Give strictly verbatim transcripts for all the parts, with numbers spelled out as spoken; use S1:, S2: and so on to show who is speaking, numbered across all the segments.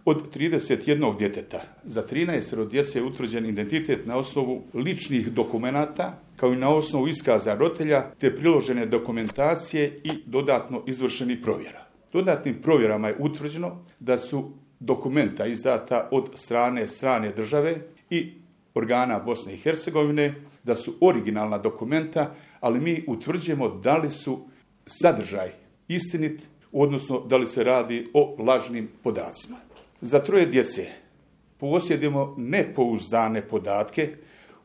S1: Od trideset jednog djeteta za trinaest djece je utvrđen identitet na osnovu ličnih dokumenata, kao i na osnovu iskaza roditelja, te priložene dokumentacije i dodatno izvršenih provjera. Dodatnim provjerama je utvrđeno da su dokumenta izdata od strane strane države i organa Bosne i Hercegovine, da su originalna dokumenta, ali mi utvrđujemo da li su sadržaj istinit, odnosno da li se radi o lažnim podacima. Za troje djece posjedujemo nepouzdane podatke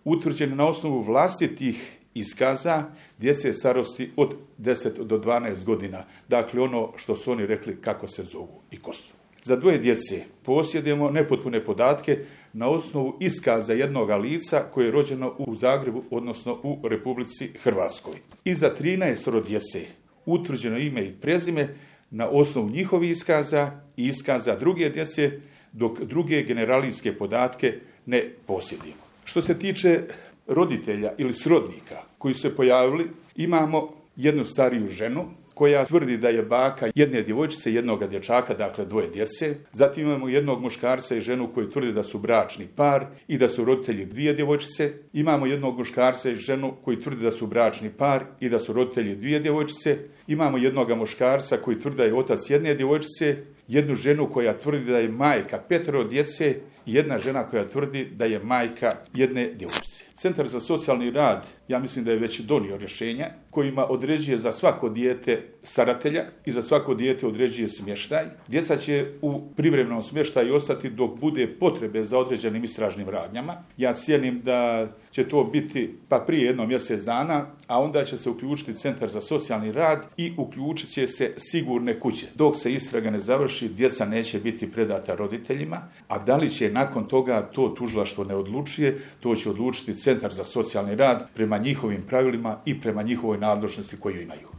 S1: utvrđene na osnovu vlastitih iskaza djece starosti od deset do dvanaest godina. Dakle, ono što su oni rekli kako se zovu i ko su. Za dvoje djece posjedujemo nepotpune podatke na osnovu iskaza jednog lica koje je rođeno u Zagrebu, odnosno u Republici Hrvatskoj. I za trinaest djece utvrđeno ime i prezime na osnovu njihovih iskaza i iskaza druge djece, dok druge generalijske podatke ne posjedujemo. Što se tiče roditelja ili srodnika koji su se pojavili, imamo jednu stariju ženu koja tvrdi da je baka jedne djevojčice i jednog dječaka, dakle dvoje djece. Zatim imamo jednog muškarca i ženu koji tvrdi da su bračni par i da su roditelji dvije djevojčice. Imamo jednog muškarca i ženu koji tvrdi da su bračni par i da su roditelji dvije djevojčice. Imamo jednog muškarca koji tvrdi da je otac jedne djevojčice, jednu ženu koja tvrdi da je majka petero djece i jedna žena koja tvrdi da je majka jedne djevojčice. Centar za socijalni rad, ja mislim da je već donio rješenja kojima određuje za svako dijete staratelja i za svako dijete određuje smještaj. Djeca će u privremenom smještaju ostati dok bude potrebe za određenim istražnim radnjama. Ja cijenim da će to biti pa prije jedno mjesec dana, a onda će se uključiti Centar za socijalni rad i uključit će se sigurne kuće. Dok se istraga ne završi, djeca neće biti predata roditeljima, a da li će nakon toga to tužilaštvo ne odlučuje, to će odlučiti Centar za socijalni rad prema njihovim pravilima i prema njihovoj nadležnosti koju imaju.